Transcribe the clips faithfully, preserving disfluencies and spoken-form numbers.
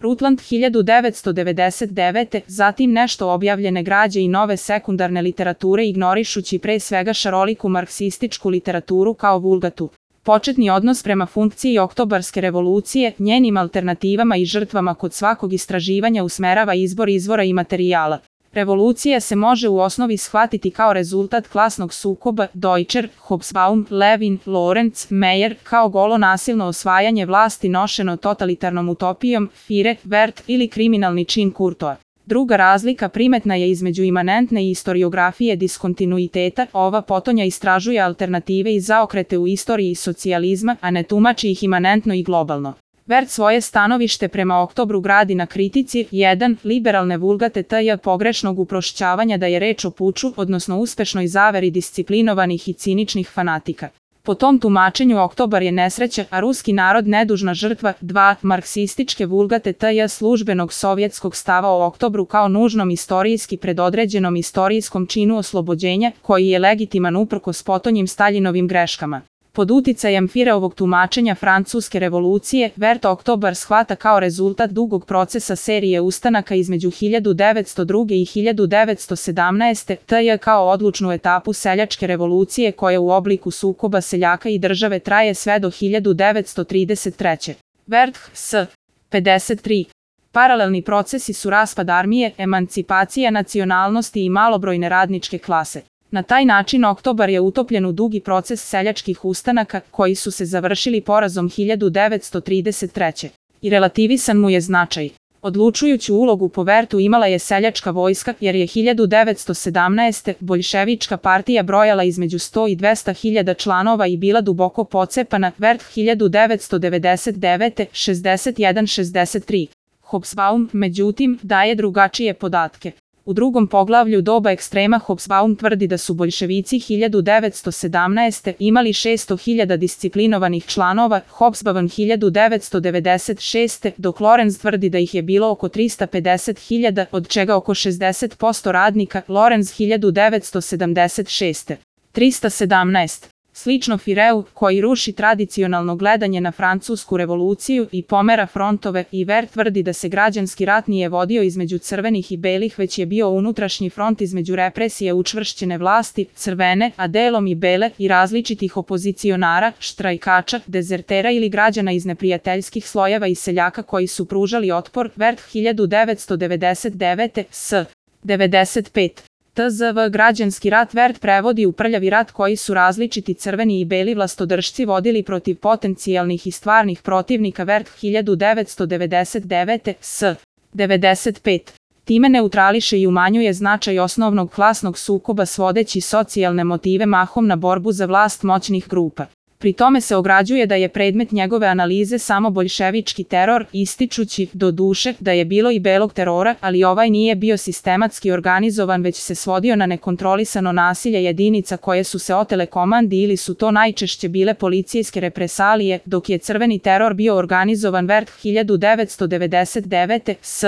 Rutland hiljadu devetsto devedeset devete. Zatim nešto objavljene građe i nove sekundarne literature ignorišući pre svega šaroliku marksističku literaturu kao vulgatu. Početni odnos prema funkciji oktobarske revolucije, njenim alternativama i žrtvama kod svakog istraživanja usmerava izbor izvora i materijala. Revolucija se može u osnovi shvatiti kao rezultat klasnog sukoba, Deutscher, Hobsbawm, Levin, Lorenz, Meyer, kao golo nasilno osvajanje vlasti nošeno totalitarnom utopijom, Fire, Wert ili kriminalni čin Kurtoa. Druga razlika primetna je između imanentne i istoriografije diskontinuiteta, ova potonja istražuje alternative i zaokrete u istoriji socijalizma, a ne tumači ih imanentno i globalno. Wert svoje stanovište prema oktobru gradi na kritici jedan. Liberalne vulgate tj. pogrešnog uprošćavanja da je reč o puču, odnosno uspešnoj zaveri disciplinovanih i ciničnih fanatika. Po tom tumačenju oktobar je nesreća, a ruski narod nedužna žrtva. dva. Marksističke vulgate tj. službenog sovjetskog stava o oktobru kao nužnom istorijski predodređenom istorijskom činu oslobođenja, koji je legitiman uprkos potonjim Staljinovim greškama. Pod uticajem Fireovog tumačenja Francuske revolucije, Wert oktobar shvata kao rezultat dugog procesa serije ustanaka između hiljadu devetsto druge. i hiljadu devetsto sedamnaeste. tj. kao odlučnu etapu seljačke revolucije koja u obliku sukoba seljaka i države traje sve do hiljadu devetsto trideset treće. Wert s. pedeset tri. Paralelni procesi su raspad armije, emancipacija nacionalnosti i malobrojne radničke klase. Na taj način oktobar je utopljen u dugi proces seljačkih ustanaka, koji su se završili porazom hiljadu devetsto trideset treće. I relativisan mu je značaj. Odlučujuću ulogu po Wertu imala je seljačka vojska, jer je hiljadu devetsto sedamnaeste. boljševička partija brojala između sto i dvesta hiljada članova i bila duboko pocepana. Wert hiljadu devetsto devedeset devete. šezdeset jedan šezdeset tri. Hobsbawm, međutim, daje drugačije podatke. U drugom poglavlju doba ekstrema Hobsbawm tvrdi da su boljševici hiljadu devetsto sedamnaeste. imali šesto hiljada disciplinovanih članova, Hobsbawm hiljadu devetsto devedeset šeste. dok Lorenz tvrdi da ih je bilo oko trista pedeset hiljada, od čega oko šezdeset posto radnika, Lorenz hiljadu devetsto sedamdeset šeste. trista sedamnaest. Slično Fireu, koji ruši tradicionalno gledanje na Francusku revoluciju i pomera frontove, i Wert tvrdi da se građanski rat nije vodio između crvenih i belih, već je bio unutrašnji front između represije učvršćene vlasti, crvene, a delom i bele, i različitih opozicionara, štrajkača, dezertera ili građana iz neprijateljskih slojeva i seljaka koji su pružali otpor. Wert hiljadu devetsto devedeset devete. s. devedeset pet. tzv. Građanski rat Wert prevodi u prljavi rat koji su različiti crveni i beli vlastodržci vodili protiv potencijalnih i stvarnih protivnika. Wert hiljadu devetsto devedeset devete. s. devedeset pet. Time neutrališe i umanjuje značaj osnovnog klasnog sukoba svodeći socijalne motive mahom na borbu za vlast moćnih grupa. Pri tome se ograđuje da je predmet njegove analize samo boljševički teror, ističući, do duše, da je bilo i belog terora, ali ovaj nije bio sistematski organizovan već se svodio na nekontrolisano nasilje jedinica koje su se otele komandi ili su to najčešće bile policijske represalije, dok je crveni teror bio organizovan. Wert hiljadu devetsto devedeset devete. s.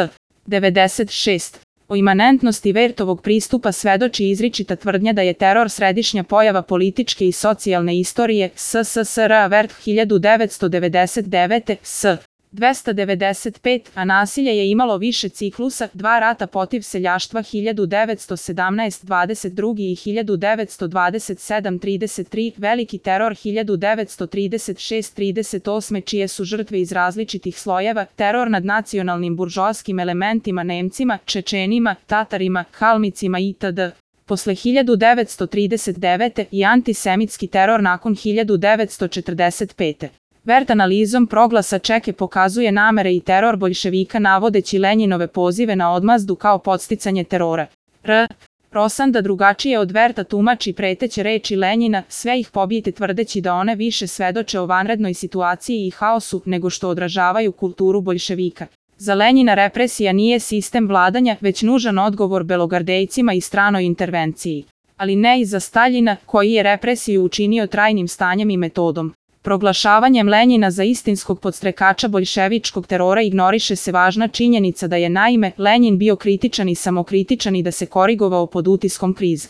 devedeset šest. O imanentnosti Wertovog pristupa svedoči izričita tvrdnja da je teror središnja pojava političke i socijalne istorije S S S R. Wert hiljadu devetsto devedeset devete. s. dvesta devedeset pet. A nasilje je imalo više ciklusa, dva rata protiv seljaštva hiljadu devetsto sedamnaest dvadeset drugi. i hiljadu devetsto dvadeset sedam trideset tri, veliki teror hiljadu devetsto trideset šest trideset osam čije su žrtve iz različitih slojeva, teror nad nacionalnim buržoaskim elementima Nemcima, Čečenima, Tatarima, Halmicima itd. Posle hiljadu devetsto trideset devete. i antisemitski teror nakon hiljadu devetsto četrdeset pete. Wert analizom proglasa Čeke pokazuje namere i teror boljševika navodeći Lenjinove pozive na odmazdu kao podsticanje terora. R. Rosanda drugačije od Werta tumači preteće reči Lenjina, sve ih pobijete tvrdeći da one više svedoče o vanrednoj situaciji i haosu nego što odražavaju kulturu boljševika. Za Lenjina represija nije sistem vladanja, već nužan odgovor belogardejcima i stranoj intervenciji. Ali ne i za Staljina, koji je represiju učinio trajnim stanjem i metodom. Proglašavanjem Lenjina za istinskog podstrekača boljševičkog terora ignoriše se važna činjenica da je naime Lenjin bio kritičan i samokritičan i da se korigovao pod utiskom krize.